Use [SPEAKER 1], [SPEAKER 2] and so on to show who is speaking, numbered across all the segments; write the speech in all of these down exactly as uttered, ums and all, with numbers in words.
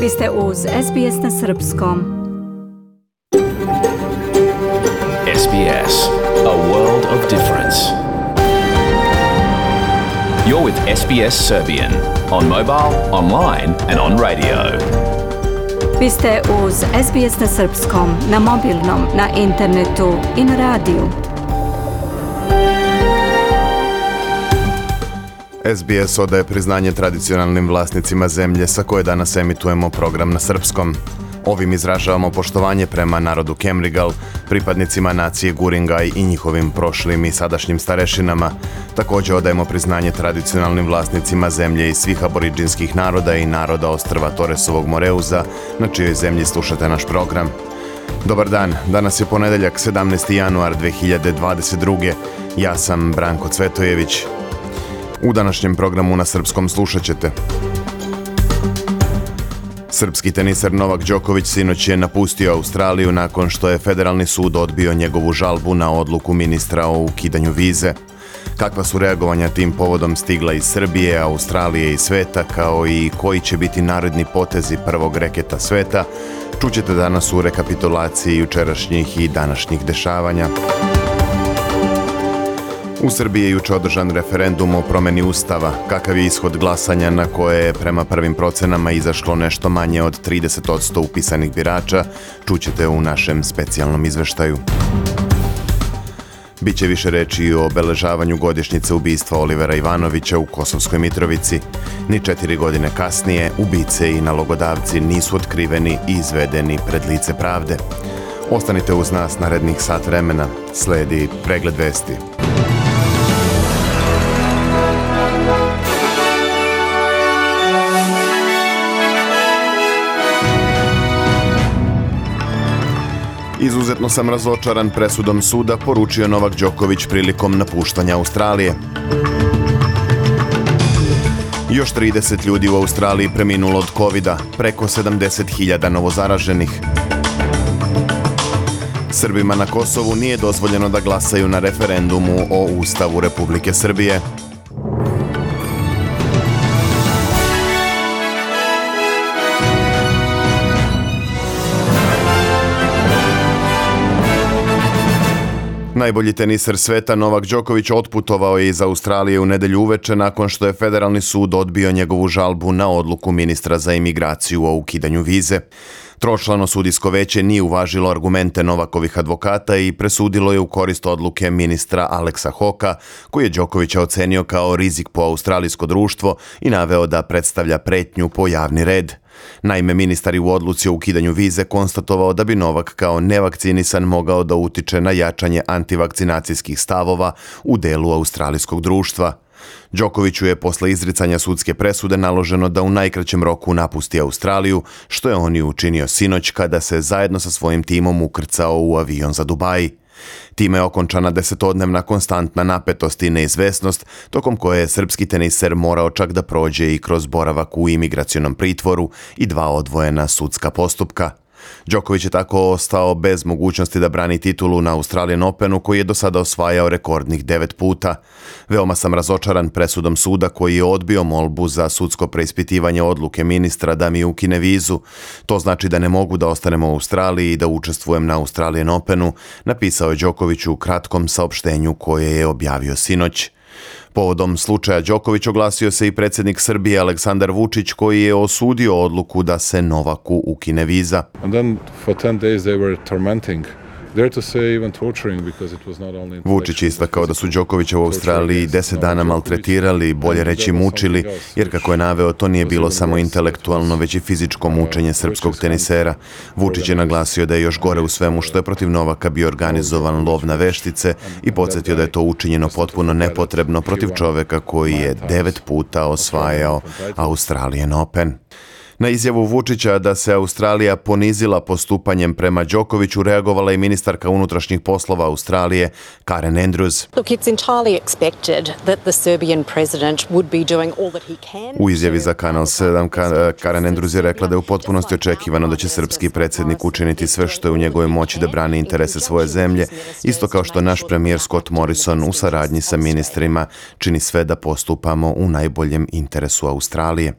[SPEAKER 1] Vi ste uz S B S na srpskom.
[SPEAKER 2] S B S, a world of difference. You're with S B S Serbian on mobile, online and on radio.
[SPEAKER 1] Vi ste uz S B S na srpskom, na mobilnom, na internetu i na radiju.
[SPEAKER 3] S B S odaje priznanje tradicionalnim vlasnicima zemlje sa koje danas emitujemo program na srpskom. Ovim izražavamo poštovanje prema narodu Kemrigal, pripadnicima nacije Guringaj i njihovim prošlim i sadašnjim starešinama. Također odajemo priznanje tradicionalnim vlasnicima zemlje i svih aboriđinskih naroda i naroda ostrva Toresovog Moreuza, na čijoj zemlji slušate naš program. Dobar dan, danas je ponedeljak sedamnaesti januar dve hiljade dvadeset druge. Ja sam Branko Cvetojević. U današnjem programu na srpskom slušat ćete. Srpski teniser Novak Đoković sinoć je napustio Australiju nakon što je federalni sud odbio njegovu žalbu na odluku ministra o ukidanju vize. Kakva su reagovanja tim povodom stigla iz Srbije, Australije i sveta, kao i koji će biti naredni potezi prvog reketa sveta, čućete danas u rekapitulaciji jučerašnjih i današnjih dešavanja. U Srbiji je juče održan referendum o promjeni Ustava. Kakav je ishod glasanja na koje je prema prvim procenama izašlo nešto manje od trideset posto upisanih birača, čućete u našem specijalnom izveštaju. Biće više reči i o obeležavanju godišnjice ubistva Olivera Ivanovića u Kosovskoj Mitrovici. Ni četiri godine kasnije ubice i nalogodavci nisu otkriveni i izvedeni pred lice pravde. Ostanite uz nas narednih sat vremena. Sledi pregled vesti. Izuzetno sam razočaran presudom suda, poručio Novak Đoković prilikom napuštanja Australije. Još trideset ljudi u Australiji preminulo od kovida, preko sedamdeset hiljada novozaraženih. Srbima na Kosovu nije dozvoljeno da glasaju na referendumu o Ustavu Republike Srbije. Najbolji teniser sveta Novak Đoković otputovao je iz Australije u nedelju uveče nakon što je federalni sud odbio njegovu žalbu na odluku ministra za imigraciju o ukidanju vize. Tročlano sudijsko veće nije uvažilo argumente Novakovih advokata i presudilo je u korist odluke ministra Aleksa Hoka, koji je Đokovića ocenio kao rizik po australijsko društvo i naveo da predstavlja pretnju po javni red. Naime, ministar je u odluci o ukidanju vize konstatovao da bi Novak kao nevakcinisan mogao da utiče na jačanje antivakcinacijskih stavova u delu australijskog društva. Đokoviću je posle izricanja sudske presude naloženo da u najkraćem roku napusti Australiju, što je on i učinio sinoć kada se zajedno sa svojim timom ukrcao u avion za Dubai. Time je okončana desetodnevna konstantna napetost i neizvesnost, tokom koje je srpski teniser morao čak da prođe i kroz boravak u imigracionom pritvoru i dva odvojena sudska postupka. Đoković je tako ostao bez mogućnosti da brani titulu na Australian Openu, koji je do sada osvajao rekordnih devet puta. Veoma sam razočaran presudom suda koji je odbio molbu za sudsko preispitivanje odluke ministra da mi ukine vizu. To znači da ne mogu da ostanem u Australiji i da učestvujem na Australian Openu, napisao je Đoković u kratkom saopštenju koje je objavio sinoć. Povodom slučaja Đoković oglasio se i predsjednik Srbije Aleksandar Vučić, koji je osudio odluku da se Novaku ukine viza.
[SPEAKER 4] And then for ten days they were tormenting. Dare to say even torturing because it was not only
[SPEAKER 3] Vučić istakao da su Đokovića u Australiji deset dana maltretirali, bolje reći mučili, jer kako je naveo, to nije bilo samo intelektualno, već i fizičko mučenje srpskog tenisera. Vučić je naglasio da je još gore u svemu što je protiv Novaka bio organizovan lov na veštice i podsjetio da je to učinjeno potpuno nepotrebno protiv čoveka koji je devet puta osvajao Australian Open. Na izjavu Vučića da se Australija ponizila postupanjem prema Đokoviću reagovala i ministarka unutrašnjih poslova Australije Karen Andrews.
[SPEAKER 5] Look, it's entirely expected that the Serbian president would be doing all that he can.
[SPEAKER 3] U izjavi za Kanal sedam Karen Andrews je rekla da je u potpunosti očekivano da će srpski predsjednik učiniti sve što je u njegovoj moći da brani interese svoje zemlje, isto kao što naš premijer Scott Morrison u saradnji sa ministrima čini sve da postupamo u najboljem interesu Australije.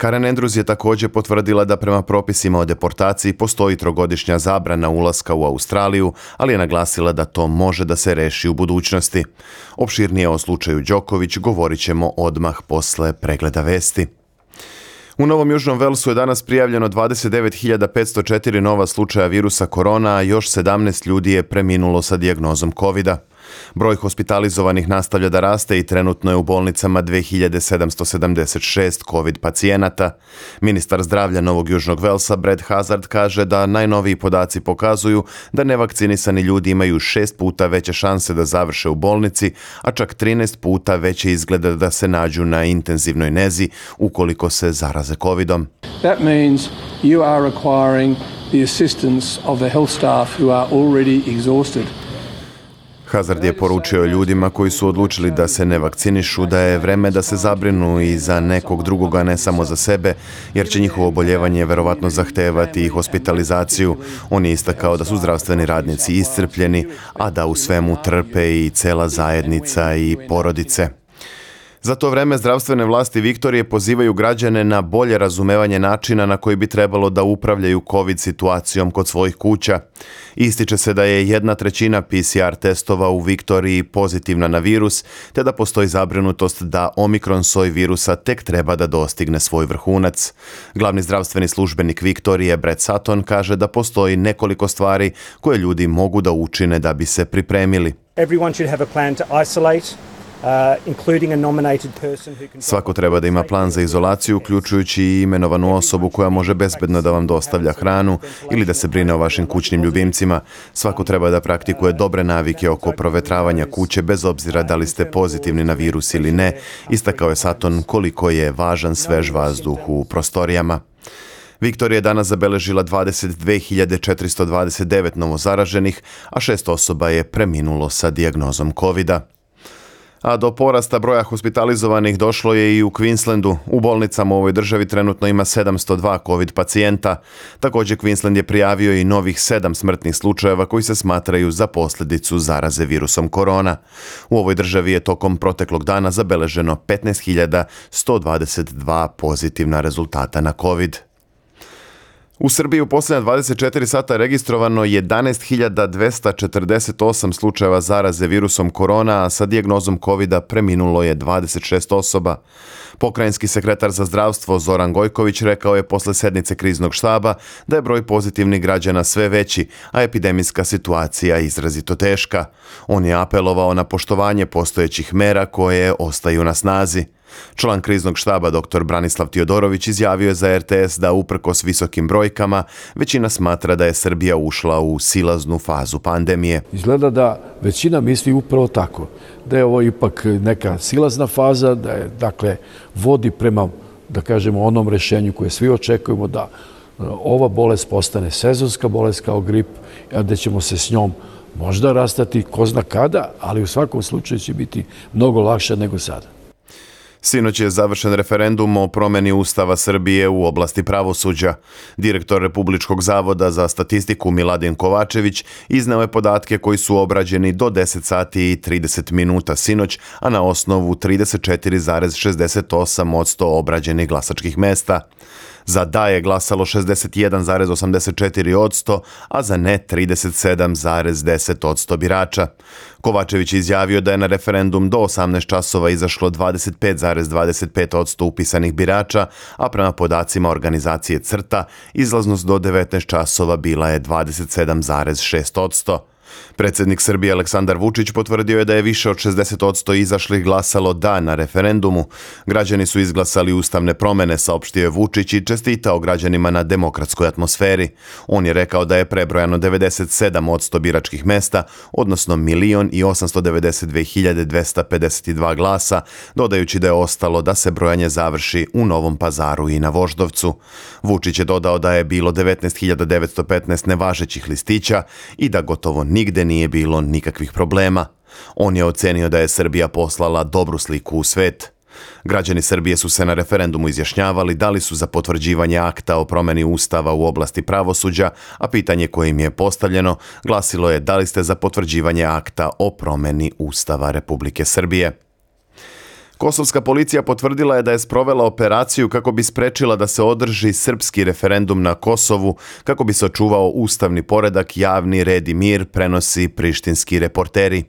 [SPEAKER 3] Karen Andrews je također potvrdila da prema propisima o deportaciji postoji trogodišnja zabrana ulaska u Australiju, ali je naglasila da to može da se reši u budućnosti. Opširnije o slučaju Đoković govorit ćemo odmah posle pregleda vesti. U Novom Južnom Velsu je danas prijavljeno dvadeset devet hiljada petsto četiri nova slučaja virusa korona, a još sedamnaest ljudi je preminulo sa dijagnozom kovida. Broj hospitalizovanih nastavlja da raste i trenutno je u bolnicama dve hiljade sedamsto sedamdeset šest covid pacijenata. Ministar zdravlja Novog Južnog Velsa Brad Hazard kaže da najnoviji podaci pokazuju da nevakcinisani ljudi imaju šest puta veće šanse da završe u bolnici, a čak trinaest puta veće izgleda da se nađu na intenzivnoj nezi ukoliko se zaraze covidom.
[SPEAKER 6] That means you are requiring the assistance of the health staff who are already exhausted.
[SPEAKER 3] Hazard je poručio ljudima koji su odlučili da se ne vakcinišu da je vreme da se zabrinu i za nekog drugoga, ne samo za sebe, jer će njihovo oboljevanje verovatno zahtevati i hospitalizaciju. On je istakao da su zdravstveni radnici iscrpljeni, a da u svemu trpe i cela zajednica i porodice. Za to vreme zdravstvene vlasti Viktorije pozivaju građane na bolje razumevanje načina na koji bi trebalo da upravljaju COVID situacijom kod svojih kuća. Ističe se da je jedna trećina P C R testova u Viktoriji pozitivna na virus, te da postoji zabrinutost da omikron soj virusa tek treba da dostigne svoj vrhunac. Glavni zdravstveni službenik Viktorije Brett Sutton kaže da postoji nekoliko stvari koje ljudi mogu da učine da bi se pripremili.
[SPEAKER 7] Everyone should have a plan to isolate. Uh, including a nominated person who can...
[SPEAKER 3] Svako treba da ima plan za izolaciju, uključujući i imenovanu osobu koja može bezbedno da vam dostavlja hranu ili da se brine o vašim kućnim ljubimcima. Svako treba da praktikuje dobre navike oko provetravanja kuće, bez obzira da li ste pozitivni na virus ili ne. Istakao je Sutton koliko je važan svež vazduh u prostorijama. Viktorija je danas zabeležila dvadeset dve hiljade četiristo dvadeset devet novozaraženih, a šest osoba je preminulo sa dijagnozom covida. A do porasta broja hospitalizovanih došlo je i u Queenslandu. U bolnicama u ovoj državi trenutno ima sedamsto dva covid pacijenta. Također Queensland je prijavio i novih sedam smrtnih slučajeva koji se smatraju za posljedicu zaraze virusom korona. U ovoj državi je tokom proteklog dana zabeleženo petnaest hiljada sto dvadeset dva pozitivna rezultata na covid. U Srbiji u posljednja dvadeset četiri sata registrovano jedanaest hiljada dvesta četrdeset osam slučajeva zaraze virusom korona, a sa dijagnozom covida preminulo je dvadeset šest osoba. Pokrajinski sekretar za zdravstvo Zoran Gojković rekao je posle sednice kriznog štaba da je broj pozitivnih građana sve veći, a epidemijska situacija izrazito teška. On je apelovao na poštovanje postojećih mera koje ostaju na snazi. Član kriznog štaba dr. Branislav Tiodorović izjavio je za R T S da uprkos visokim brojkama većina smatra da je Srbija ušla u silaznu fazu pandemije.
[SPEAKER 8] Izgleda da većina misli upravo tako, da je ovo ipak neka silazna faza, da je, dakle, vodi prema, da kažemo, onom rešenju koje svi očekujemo, da ova bolest postane sezonska bolest kao grip, a da ćemo se s njom možda rastati ko zna kada, ali u svakom slučaju će biti mnogo lakše nego sada.
[SPEAKER 3] Sinoć je završen referendum o promjeni Ustava Srbije u oblasti pravosuđa. Direktor Republičkog zavoda za statistiku Miladin Kovačević izneo je podatke koji su obrađeni do deset sati i trideset minuta sinoć, a na osnovu trideset četiri zarez šezdeset osam posto obrađenih glasačkih mesta. Za da je glasalo šezdeset jedan zarez osamdeset četiri posto, a za ne trideset sedam zarez deset posto birača. Kovačević je izjavio da je na referendum do osamnaest časova izašlo dvadeset pet zarez dvadeset pet posto upisanih birača, a prema podacima organizacije CRTA izlaznost do devetnaest časova bila je dvadeset sedam zarez šest posto. Predsjednik Srbije Aleksandar Vučić potvrdio je da je više od šezdeset posto izašlih glasalo da na referendumu. Građani su izglasali ustavne promjene, saopštio je Vučić i čestitao građanima na demokratskoj atmosferi. On je rekao da je prebrojano devedeset sedam posto biračkih mesta, odnosno milion i osamsto devedeset dve hiljade dvesta pedeset dva glasa, dodajući da je ostalo da se brojanje završi u Novom Pazaru i na Voždovcu. Vučić je dodao da je bilo devetnaest hiljada devetsto petnaest nevažećih listića i da gotovo nigde nije bilo nikakvih problema. On je ocenio da je Srbija poslala dobru sliku u svet. Građani Srbije su se na referendumu izjašnjavali da li su za potvrđivanje akta o promjeni Ustava u oblasti pravosuđa, a pitanje koje im je postavljeno glasilo je da li ste za potvrđivanje akta o promjeni Ustava Republike Srbije. Kosovska policija potvrdila je da je sprovela operaciju kako bi sprečila da se održi srpski referendum na Kosovu, kako bi se očuvao ustavni poredak, javni red i mir, prenosi prištinski reporteri.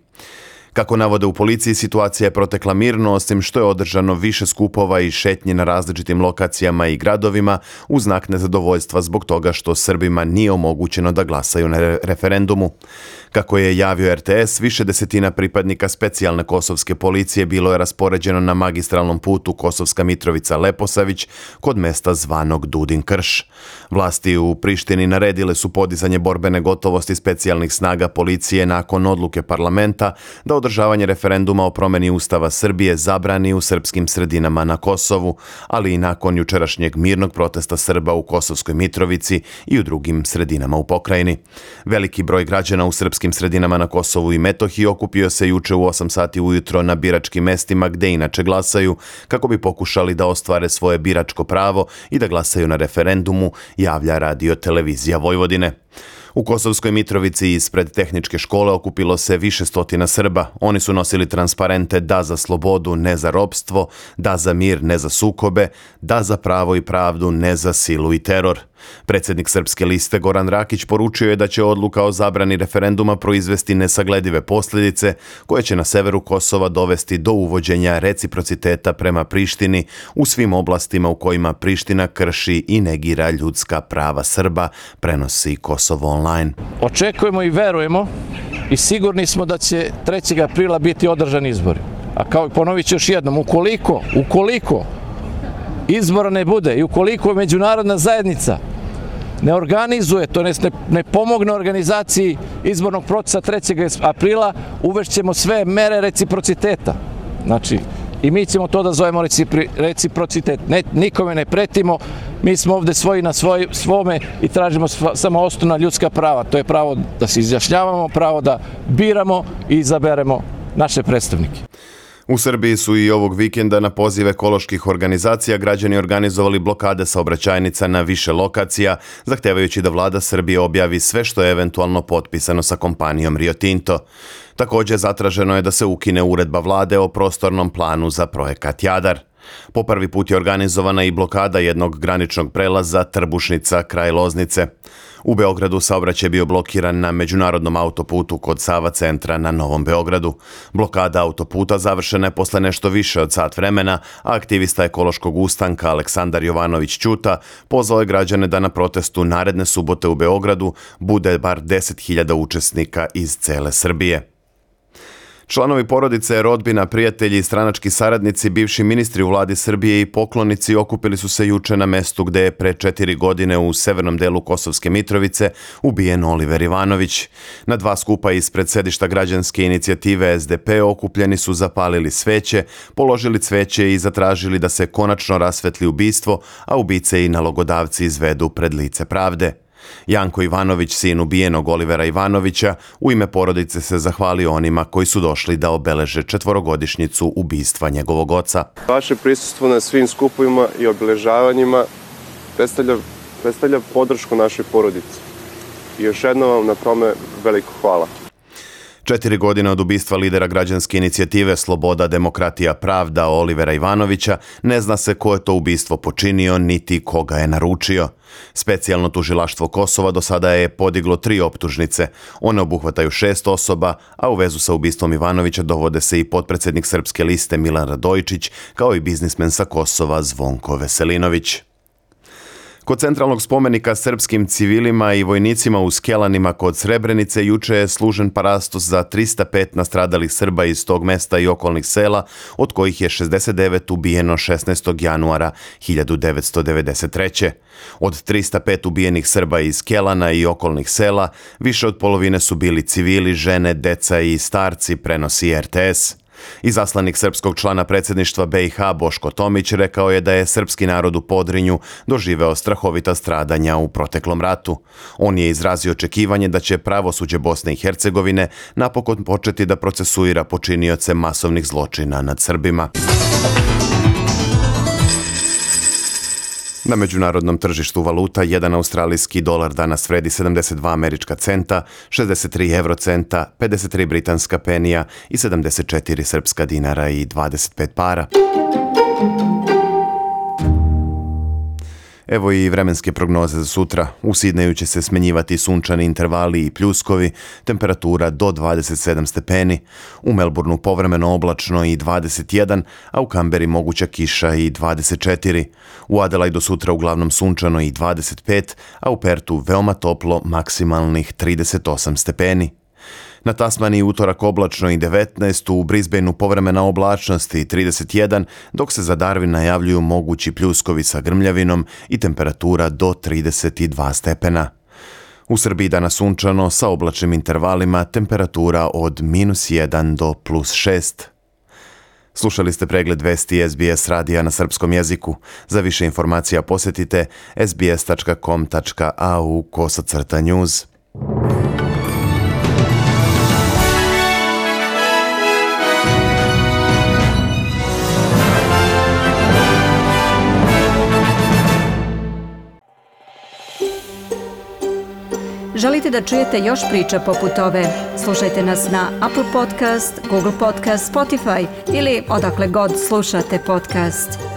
[SPEAKER 3] Kako navode u policiji, situacija je protekla mirno, osim što je održano više skupova i šetnji na različitim lokacijama i gradovima u znak nezadovoljstva zbog toga što Srbima nije omogućeno da glasaju na referendumu. Kako je javio R T S, više desetina pripadnika specijalne kosovske policije bilo je raspoređeno na magistralnom putu Kosovska Mitrovica-Leposavić kod mesta zvanog Dudin Krš. Vlasti u Prištini naredile su podizanje borbene gotovosti specijalnih snaga policije nakon odluke parlamenta da održavanje referenduma o promeni Ustava Srbije zabrani u srpskim sredinama na Kosovu, ali i nakon jučerašnjeg mirnog protesta Srba u Kosovskoj Mitrovici i u drugim sredinama u pokrajini. Veliki broj građana u srpskim sredinama na Kosovu i Metohiji okupio se juče u osam sati ujutro na biračkim mestima gde inače glasaju, kako bi pokušali da ostvare svoje biračko pravo i da glasaju na referendumu, javlja Radio Televizija Vojvodine. U Kosovskoj Mitrovici ispred tehničke škole okupilo se više stotina Srba. Oni su nosili transparente da za slobodu, ne za ropstvo, da za mir, ne za sukobe, da za pravo i pravdu, ne za silu i teror. Predsjednik Srpske liste Goran Rakić poručio je da će odluka o zabrani referenduma proizvesti nesagledive posljedice koje će na severu Kosova dovesti do uvođenja reciprociteta prema Prištini u svim oblastima u kojima Priština krši i negira ljudska prava Srba, prenosi Kosovo online.
[SPEAKER 9] Očekujemo i verujemo i sigurni smo da će trećeg aprila biti održani izbori. A kao ponovit ću još jednom, ukoliko, ukoliko izbora ne bude i ukoliko međunarodna zajednica ne organizuje, to ne, ne pomogne organizaciji izbornog procesa trećeg aprila, uvešćemo sve mere reciprociteta. Znači, i mi ćemo to da zovemo recipri, reciprocitet. Ne, nikome ne pretimo, mi smo ovde svoji na svoj, svome i tražimo sva, samo osnovna ljudska prava. To je pravo da se izjašnjavamo, pravo da biramo i izaberemo naše predstavnike.
[SPEAKER 3] U Srbiji su i ovog vikenda na poziv ekoloških organizacija građani organizovali blokade saobraćajnica na više lokacija, zahtevajući da vlada Srbije objavi sve što je eventualno potpisano sa kompanijom Rio Tinto. Također zatraženo je da se ukine uredba vlade o prostornom planu za projekat Jadar. Po prvi put je organizovana i blokada jednog graničnog prelaza Trbušnica kraj Loznice. U Beogradu saobraćaj je bio blokiran na međunarodnom autoputu kod Sava centra na Novom Beogradu. Blokada autoputa završena je posle nešto više od sat vremena, a aktivista ekološkog ustanka Aleksandar Jovanović Ćuta pozvao je građane da na protestu naredne subote u Beogradu bude bar deset hiljada učesnika iz cele Srbije. Članovi porodice, rodbina, prijatelji i stranački saradnici, bivši ministri u vladi Srbije i poklonici okupili su se juče na mestu gde je pre četiri godine u severnom delu Kosovske Mitrovice ubijen Oliver Ivanović. Na dva skupa ispred sedišta građanske inicijative S D P okupljeni su zapalili sveće, položili cveće i zatražili da se konačno rasvetli ubistvo, a ubice i nalogodavci izvedu pred lice pravde. Janko Ivanović, sin ubijenog Olivera Ivanovića, u ime porodice se zahvalio onima koji su došli da obeleže četvorogodišnjicu ubistva njegovog oca.
[SPEAKER 10] Vaše prisustvo na svim skupovima i obeležavanjima predstavlja, predstavlja podršku našoj porodici. I još jednom vam na tome veliko hvala.
[SPEAKER 3] Četiri godine od ubistva lidera građanske inicijative Sloboda, demokratija, pravda Olivera Ivanovića ne zna se ko je to ubistvo počinio niti koga je naručio. Specijalno tužilaštvo Kosova do sada je podiglo tri optužnice. One obuhvataju šest osoba, a u vezu sa ubistvom Ivanovića dovode se i potpredsjednik Srpske liste Milan Radojičić, kao i biznismen sa Kosova Zvonko Veselinović. Kod centralnog spomenika srpskim civilima i vojnicima u Skelanima kod Srebrenice juče je služen parastos za trista pet nastradalih Srba iz tog mesta i okolnih sela, od kojih je šezdeset devet ubijeno šesnaestog januara hiljadu devetsto devedeset treće. Od trista pet ubijenih Srba iz Skelana i okolnih sela, više od polovine su bili civili, žene, deca i starci, prenosi R T S. Izaslanik srpskog člana predsjedništva B i H Boško Tomić rekao je da je srpski narod u Podrinju doživeo strahovita stradanja u proteklom ratu. On je izrazio očekivanje da će pravosuđe Bosne i Hercegovine napokon početi da procesuira počinioce masovnih zločina nad Srbima. Na međunarodnom tržištu valuta jedan australijski dolar danas vredi sedamdeset dva američka centa, šezdeset tri eurocenta, pedeset tri britanska penija i sedamdeset četiri srpska dinara i dvadeset pet para. Evo i vremenske prognoze za sutra. U Sidneju će se smenjivati sunčani intervali i pljuskovi, temperatura do dvadeset sedam stepeni. U Melbourneu povremeno oblačno i dvadeset jedan, a u Kamberi moguća kiša i dvadeset četiri. U Adelaidu sutra uglavnom sunčano i dvadeset pet, a u Pertu veoma toplo, maksimalnih trideset osam stepeni. Na Tasmaniji utorak oblačno i devetnaest, u Brisbaneu povremena oblačnost i trideset jedan, dok se za Darwin najavljuju mogući pljuskovi sa grmljavinom i temperatura do trideset dva stepena. U Srbiji danas sunčano sa oblačnim intervalima, temperatura od minus jedan do plus šest. Slušali ste pregled vesti S B S radija na srpskom jeziku. Za više informacija posjetite sbs tačka com tačka a u kosacrta news.
[SPEAKER 1] Želite da čujete još priča poput ove? Slušajte nas na Apple Podcast, Google Podcast, Spotify ili odakle god slušate podcast.